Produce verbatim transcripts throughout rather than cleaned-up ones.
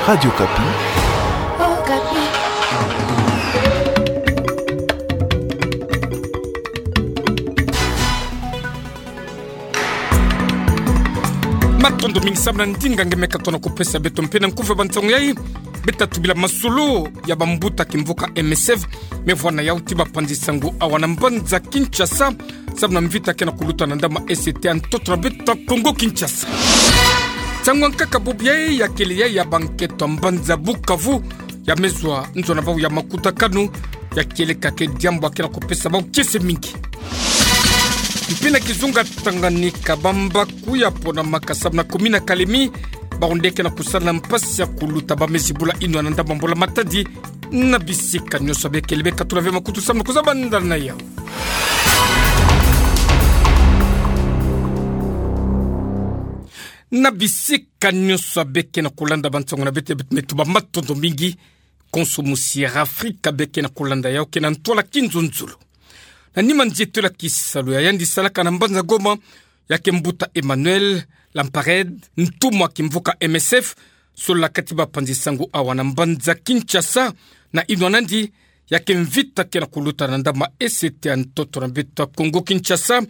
Radio Okapi. Okapi. Matondo mingi samu na ndinga nge me katono kupesa beto mpe na nkufi ya bansangu yai. Beta tubila masolo ya bambuta kimvuka M S F me vwanda yau ti bapanzi sango awa na mbanza Kinshasa, samu na mvita ke na kuluta na ndambu ya E C T ya ntoto na beto Kongo Kinshasa. Nsangu ya nkaka bubu yai ya kele yai ya banketo ya mbanza Bukavu, ya me zwa nzo na bau ya makutakanu, ya kieleka ke diambu ya ke na kupesa bau kiese mingi. Mpe na kizunga Tanganyika, bambaku ya ponamaka samu na commune ya Kalemi, bawu nde ke na kusala na mpasi ya kuluta ba me zibula inwa na ndambu ya mbula matadi. Na bisika nyonso bekele, bekatula ve makutu samu na kuzabanda na yau. Na bisika nyonso beke na kulanda bansangu na beto, beto me tuba matondo mingi. Konso musi ya Afrika beke na kulanda yau ke na ntwala kinzonzolo. Na nima nzieto ya kisalu ya yandi salaka na mbanza Goma, ya ke mbuta Emmanuel Lamparede, ntumwa kimvuka M S F, solola kati bapanzi sango awa na mbanza Kinshasa, na inwa nandi ya ke mvita ke na kuluta na ndambu ya E C T ya ntoto na beto Kongo Kinshasa,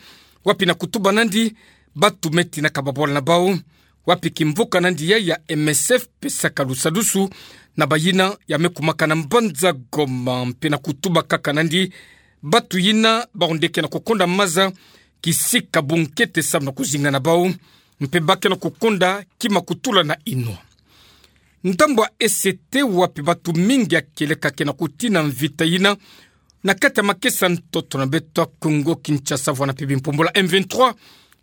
wapi na kutuba nandi batu me tina ka babwala na bau, wapi kimvuka nandi yai ya M S F pesaka lusadusu na bayina ya me kumaka na mbanza Goma, mpe na kutuba kaka nandi batu yina bawu nde ke na kukonda maza kisika bunkete samu na kuzinga na bau, mpe ba ke na kukonda kima kutula na inwa. Ndambu ya E C T wapi batu mingi ya kieleka ke na kutina mvita yina na kati ya makesa ntoto na beto Kongo Kinshasa, vwanda mpe bimpumbulu ya M vingt-trois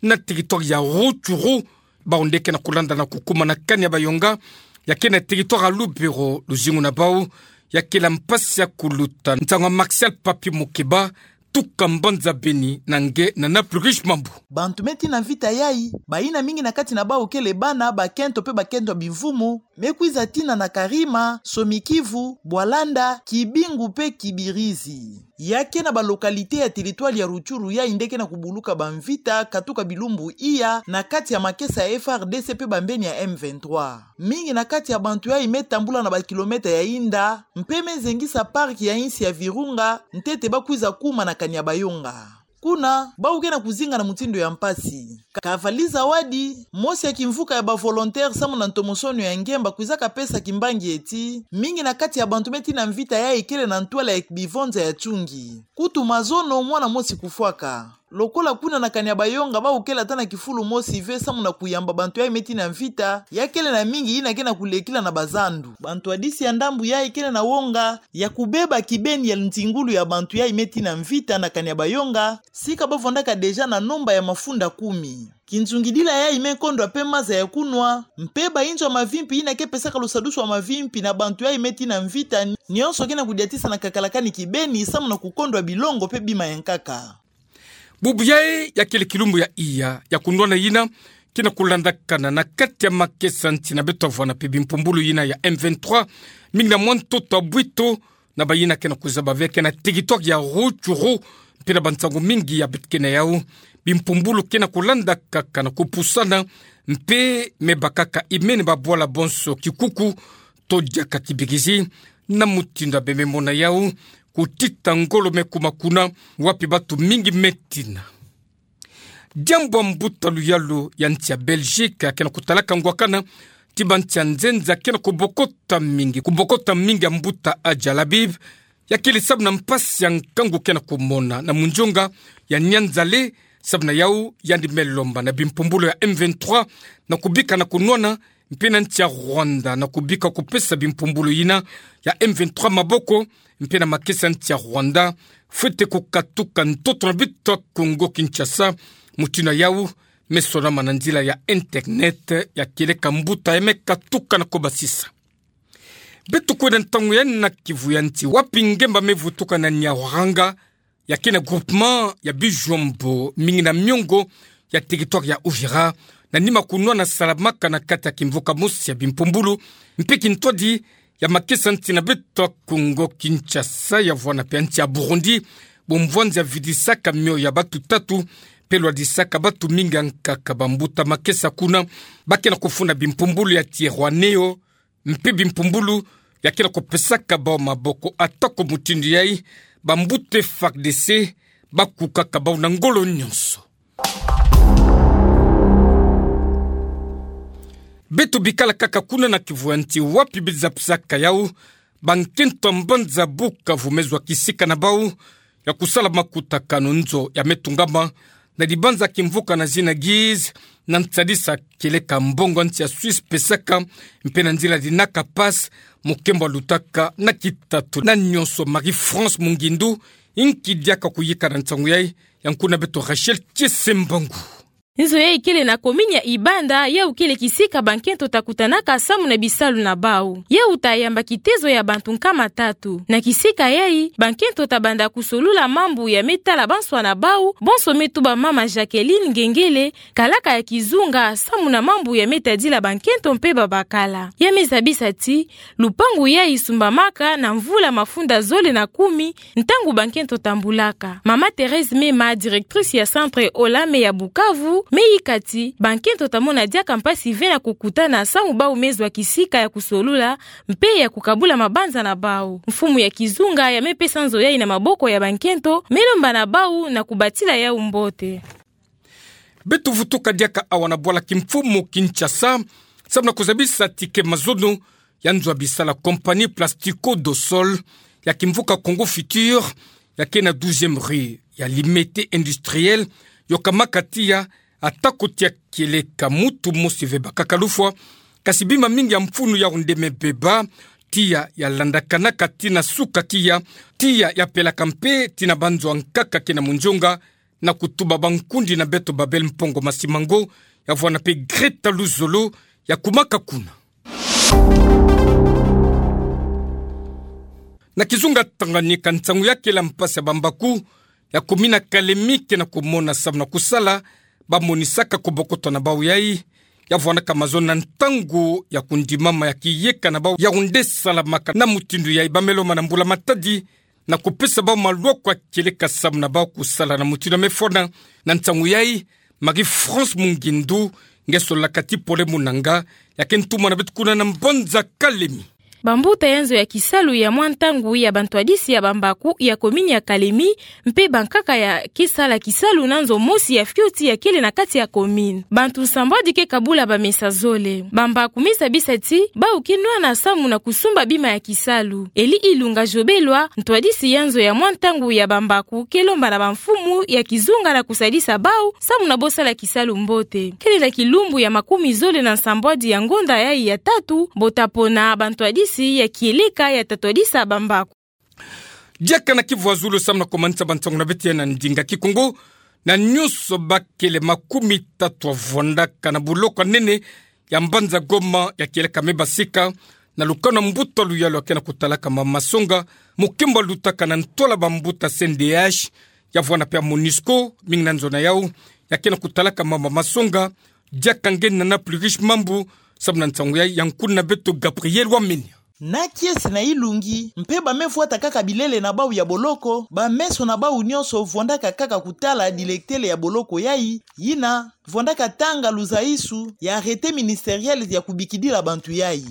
na territoire ya Rutshuru, bawu nde ke na kulanda na kukuma na kani ya Bayonga, ya ke na territoire ya Lubero, luzingu na bau ya kele mpasi ya kuluta. Nsangu ya Martial Papi Mukeba, tuka mbanza Beni, na nge na Nana Plurish Mambu. Bantu me tina mvita yai, bayina mingi na kati na bau kele bana, bakento mpe bakento ya bimvumu, me kwiza tina na Karima, Somikivu, Bwalanda, Kibingu mpe Kibirizi. Ya ke na ba localité ya territoire ya Rutshuru yai nde ke na kubuluka bamvita katuka bilumbu iya na kati ya makesa ya F A R D C mpe bambeni ya M vingt-trois. Mingi na kati ya bantu yai me tambula na ba kilomètre ya inda, mpe me zengisa parc ya insi ya Virunga, ntete ba kwiza kuma na Kanyabayonga. Kuna, bau ke na kuzinga na mutindu ya mpasi. Kavali Zawadi, mosi ya kimvuka ya ba volontaire samu na ntomosono ya Ngemba, kwizaka pesa kimbangi ti, mingi na kati ya bantu me tina mvita yai kele na ntwala ya bivonza ya chungi. Kutu mazono mwana mosi kufwaka. Lokola kuna na Kanyabayonga bau kele ata na kifulu mosi ve samu na kuyamba bantu yai me tina mvita, ya kele na mingi yina ke na kulekila na bazandu. Bantu ya disi ya ndambu yai kele na wonga ya kubeba kibeni ya nzingulu ya bantu yai me tina mvita na Kanyabayonga, sika ba vwandaka déjà na nomba ya mafunda kumi. Kinzungidila yai me kondwa mpe maza ya kunwa, mpe ba inzo ya mavimpi yina ke pesaka lusadusu ya mavimpi na bantu yai me tina mvita, nyonso ke na kudiatisa na kakalakani kibeni samu na kukondwa bilongo mpe bima ya nkaka. Bubu yai ya kele kilumbu ya iya ya kunwana yina ke na kulandakana na kati ya makesa nsi na beto vwanda mpe bimpumbulu yina ya M vingt-trois, mingi na mwa ntoto ya bwito, na bayina ke na kuzaba ve ke na territoire ya Rutshuru, mpe na bansangu mingi ya beto ke na yau, bimpumbulu ke na kulandakaka na kupusana, mpe me bakaka imene babwala bonso kikuku, to diaka kibirizi, na mutindu ya bememona yau, kutita ngolo me kuma kuna, wapi batu mingi me tina. Diambu ya mbuta luyalu ya nsi ya Belgique ke na kutalaka ngwakana ti bansi ya nzenza ke na kubokota mingi, kubokota mingi ya mbuta Adjalabi, ya kele samu na mpasi ya nkangu ke na kumona na munzonga ya Nyanza-le, samu na yau yandi me lomba na bimpumbulu ya M vingt-trois na kubika na kunwana, mpe na nsi ya Rwanda na kubika kupesa bimpumbulu yina ya M vingt-trois maboko, mpe na makesa nsi ya Rwanda, fwete kukatuka ntoto na beto Kongo Kinshasa, mutindu yau me sonama na nzila ya internet ya kieleka mbuta ya me katuka na kubasisa. Beto kwenda ntangu ya na kivu ya nsi, wapi Ngemba me vutuka na Nyaruhanga, ya ke na groupement ya Bijombo, mingi na miongo ya territoire ya Uvira, na nima kunwana salamaka na kati ya kimvuka mosi ya bimpumbulu, mpe kintwadi ya makesa nsi na beto Kongo Kinshasa, ya vwanda mpe ya nsi ya Burundi, bomvwanzi ya vidisaka mioyo ya batu tatu, mpe lwadisaka batu mingi ya nkaka. Bambuta makesa kuna ba ke na kufunda bimpumbulu ya Twirwaneho, mpe bimpumbulu, ya ke na kupesaka bau maboko. Atako mutindu yai, bambuta F A R D C bakukaka bau na ngolo nyonso. Beto bikala kaka kuna na kivu ya nti wapi beto za pesaka yau, bankento ya mbanza Bukavu me zwa kisika na bau ya kusala makutakanu nzo ya me tungama na dibanza kimvuka na zina Giz, na nsadisa kieleka mbongo ya nsi ya Suisse pesaka, mpe na nzila dinaka pass, mukembo lutaka na kitatu. Na nyonso, Marie-France Mungindu inki diaka kuyika na nsangu yai, ya nkuna beto Rachel Tiesembangu. Nzo yai kele na commune ya Ibanda, yau kele kisika bankento ta kutanaka samu na bisalu na bau. Yau ta yamba kitezo ya bantu nkama tatu. Na kisika yai, bankento ta banda kusolula mambu ya me tala banswa na bau, bonso me tuba mama Jacqueline Ngengele, kalaka ya kizunga, samu na mambu ya me tadila bankento mpe babakala. Ya me zabisa ti, lupangu yai sumbamaka na mvula mafunda zole na kumi, ntangu bankento tambulaka. Mama Thérèse Mema, directrice ya centre Olame ya Bukavu, me yika ti, bankento ta mona diaka mpasi ve na kukutana samu bau me zwa kisika ya kusolula, mpe ya kukabula mabanza na bau. Mfumu ya kizunga ya me pesa nzo yai na maboko ya bankento, me lomba na bau na kubatila yau mbote. Beto vutuka diaka awa na bwala kimfumu Kinshasa, samu na kuzabisa ti ke mazono ya nzo ya bisala, compagnie Plastico do Sol ya kimvuka Congo Futur, ya ke na douzième rue ya Limete Industriel, yo kamaka tiya, atako tiya kieleka mutu mosi ve bakaka lufwa, kasi bima mingi ya mfunu yau nde me beba, tiya ya landakanaka tii na suka tiya, tiya ya pelaka mpe tii na banzo ya nkaka ke na munzonga, na kutuba bankundi na beto Babel Mpongo Masimango, ya vwanda mpe Greta Luzolo, ya kumaka kuna. Na kizunga Tanganyika, nsangu ya kela mpasi ya bambaku ya commune ya Kalemi ke na kumona samu na kusala, bamonisaka kubokoto na bau yai, ya vwandaka mazono na ntangu ya kundimama ya kiyeka na bau yau nde salamaka. Na mutindu yai, ba me lomba na mbula-matadi na kupesa bau malwako ya kieleka samu na bau kusala na mutindu ya me fwana. Na nsangu yai, Marie-France Mungindu, nge sololaka ti Pole Munanga, ya ke ntumwa na beto kuna na mbanza Kalemi. Bambuta ya nzo ya kisalu ya mwa ntangu ya bantwadisi ya bambaku ya commune ya Kalemi, mpe bankaka ya ke sala kisalu na nzo mosi ya fioti ya kele na kati ya commune. Bantu nsambwadi ke kabula bamesa zole. Bambaku me zabisa ti, bau ke nwana samu na kusumba bima ya kisalu. Eli Ilunga Jobelwa, ntwadisi ya nzo ya mwa ntangu ya bambaku, ke lomba na bamfumu ya kizunga na kusadisa bau samu na bosala kisalu mbote. Kele na kilumbu ya makumi zole na nsambwadi ya ngonda yai ya tatu, bo ta pona bantwadisi ya kieleka ya ta twadisa bambaku. Diaka na kivu ya zulu samu na kumanisa bansangu na beto ya na ndinga Kikongo, na nyonso bakele makumi tatu ya vwandaka na boloko ya nene ya mbanza Goma ya kieleka me basika, na lukanu ya mbuta luyalu ya ke na kutalaka mama Songa, mukembo lutaka na ntwala bambuta C N D H, ya vwanda mpe ya MONUSCO, mingi na nzo na yau, ya ke na kutalaka mama Songa, diaka nge Nana Pluriche Mambu, samu na nsangu yai, ya nkuna beto Gabriel Wamenia. Na kiese na ilungi, mpe ba me vwata kaka bilele na bau ya boloko, ba meso na bau nyonso vwandaka kaka kutala dilektele ya boloko yai, yina vwandaka tanga luzaisu ya arrêté ministériel ya kubikidila bantu yai.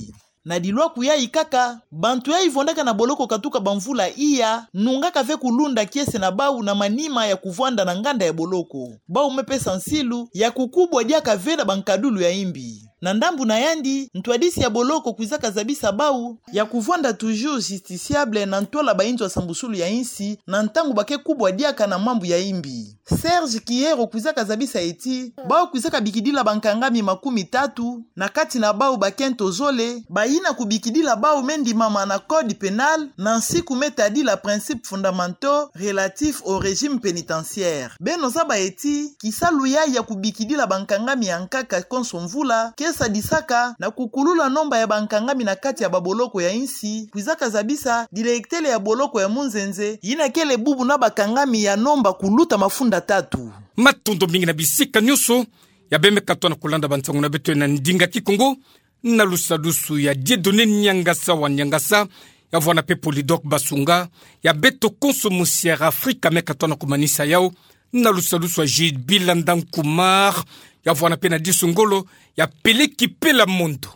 Na dilwaku yai kaka, bantu yai vwandaka na boloko katuka bamvula iya, nungaka ve kulunda kiese na bau na manima ya kuvwanda na nganda ya boloko. Bau me pesa nsilu ya kukubwa diaka ve na bankadulu ya imbi. Na ndambu na yandi, ntwadisi ya boloko kwizaka zabisa bau ya kuvwanda toujours justiciable na ntwala bainzo ya sambusulu ya insi, na ntangu ba ke kubwa diaka na mambu ya imbi. Serge Kiyero kwizaka zabisa ye ti, bau kwizaka bikidila bankangami makumi tatu, na kati na bau bakento zole, bayina kubikidila bau me ndimama na Code pénal, na nsiku me tadila principes fondamentaux relatifs au régime pénitentiaire. Beno zaba ye ti, kisalu yai ya kubikidila bankangami ya nkaka konso mvula, ke sadisaka na kukulula nomba ya bankangami na kati ya baboloko ya insi, kwizaka zabisa dilektele ya boloko ya Munzenze, yina kele bubu na bakangami ya nomba kuluta mafunda tatu. Matondo mingi na bisika nyonso ya beno me katuka na kulanda bansangu na beto ya na ndinga Kikongo, na lusadusu ya Dieudonné Niangasa wa Niangasa, ya vwanda mpe Polydor Basunga, ya beto konso musi ya Afrika me katuka na kumanisa yau, na lusadusu ya Jules Bilanda Nkumar, ya vwanda mpe na disu ngolo, ya Peleki Pela Mondo.